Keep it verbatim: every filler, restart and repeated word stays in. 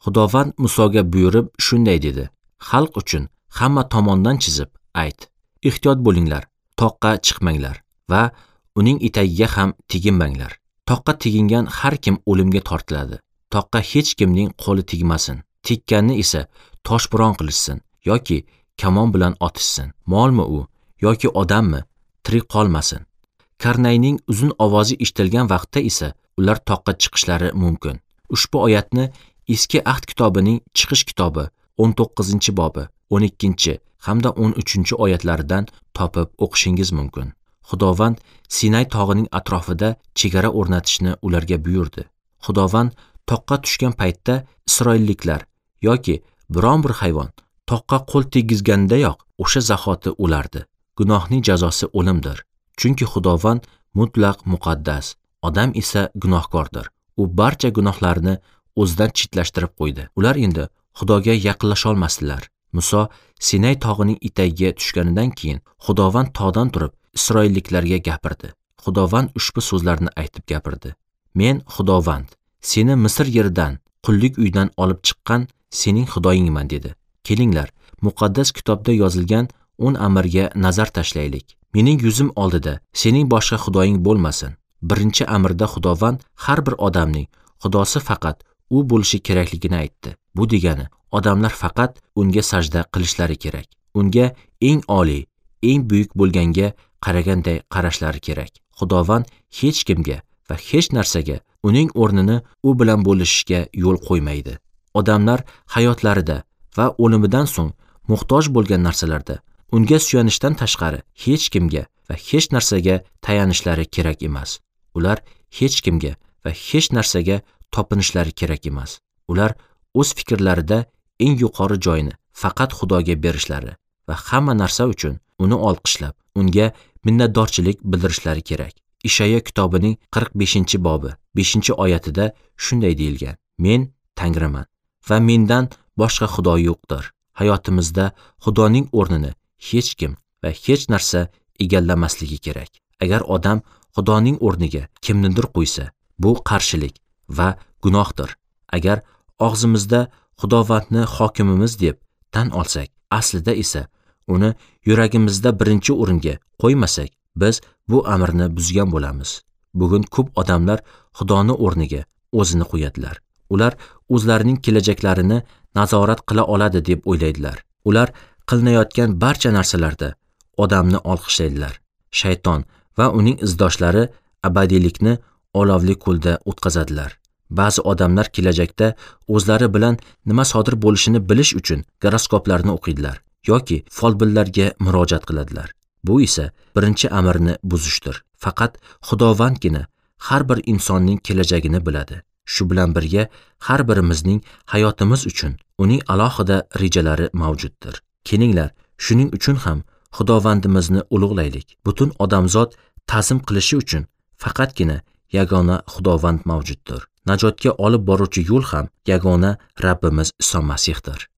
Xudovand Musoga buyurib shunday dedi: Xalq uchun hamma tomondan chizib ayt. Ehtiyot bo'linglar, toqqa chiqmanglar va uning etagiga ham teginmanglar. Toqqa tegingan har kim o'limga tortiladi. Toqqa hech kimning qo'li tegmasin. Tekkanni esa toshbo'ron qilishsin yoki kamon bilan otishsin. Molmi u yoki odammi, tirik qolmasin. Karnayning uzun ovozi eshitilgan vaqtda esa ular toqqa chiqishlari mumkin. Ushbu oyatni Eski Ahd kitobining Chiqish kitobi o'n to'qqizinchi bobi o'n ikkinchi hamda o'n uchinchi oyatlaridan topib o'qishingiz mumkin. Xudovand Sinay tog'ining atrofida chegara o'rnatishni ularga buyurdi. Xudovand toqqa tushgan paytda isroilliklar yoki biron bir hayvon toqqa qo'l tegizgandayoq o'sha zahoti o'lardi. Gunohning jazosi o'limdir. Chunki Xudovand mutlaq muqaddas, odam esa gunohkordir. U barcha gunohlarni o'zidan chetlashtirib qo'ydi. Ular endi Xudoga yaqinlasha olmasdilar. Muso Sinay tog'ining etagiga tushganidan keyin Xudovand tog'dan turib isroilliklarga gapirdi. Xudovand ushbu so'zlarni aytib gapirdi: Men Xudovand, seni Misr yeridan, qullik uyidan olib chiqqan sening Xudoyingman dedi. Kelinglar, muqaddas kitobda yozilgan o'n amirga nazar tashlaylik. Mening yuzim oldida sening boshqa xudoying bo'lmasin. Birinchi amirda Xudovand har bir odamning xudosi faqat u bo'lishi kerakligini aytdi. Bu degani odamlar faqat unga sajda qilishlari kerak. Unga eng oliy, eng buyuk bo'lganga qaraganday qarashlari kerak. Xudovand hech kimga va hech narsaga uning o'rnini u bilan bo'lishishga yo'l qo'ymaydi. Odamlar hayotlarida va o'limidan so'ng muhtoj bo'lgan narsalarda unga suyanishdan tashqari hech kimga va hech narsaga tayanishlari kerak emas. Ular hech kimga va hech narsaga topinishlari kerak emas. Ular o'z fikrlarida eng yuqori joyni faqat Xudoga berishlari va hamma narsa uchun uni olqishlab, unga minnatdorchilik bildirishlari kerak. Ishayo kitobining qirq beshinchi bobi beshinchi oyatida shunday deyilgan: Men Tangriman va mendan boshqa xudo yo'qdir. Hayotimizda Xudoning o'rnini hech kim va hech narsa egallamasligi kerak. Agar odam Xudoning o'rniga kimnidir qo'ysa, bu qarshilik va gunohdir. Agar og'zimizda Xudovandni hokimimiz deb tan olsak, aslida esa uni yuragimizda birinchi o'ringa qo'ymasak, biz bu amrni buzgan bo'lamiz. Bugun ko'p odamlar Xudoni o'rniga o'zini qo'yadilar. Ular o'zlarining kelajaklarini nazorat qila oladi deb o'ylaydilar. Ular qilinayotgan barcha narsalarda odamni olqishlaydilar. Shayton va uning izdoshlari abadiylikni olovli ko'lda o'tkazadilar. Ba'zi odamlar kelajakda o'zlari bilan nima sodir bo'lishini bilish uchun goroskoplarni o'qiydilar yoki folbinlarga murojaat qiladilar. Bu esa birinchi amrni buzishdir. Faqat Xudovandgina har bir insonning kelajagini biladi. Shu bilan birga har birimizning hayotimiz uchun uning alohida rejalari mavjuddir. Kelinglar, shuning uchun ham Xudovandimizni ulug'laylik. Butun odamzod ta'zim qilishi uchun faqatgina yagona Xudovand mavjuddir. Najotga olib boruvchi yo'l ham yagona Rabbimiz Iso Masihdir.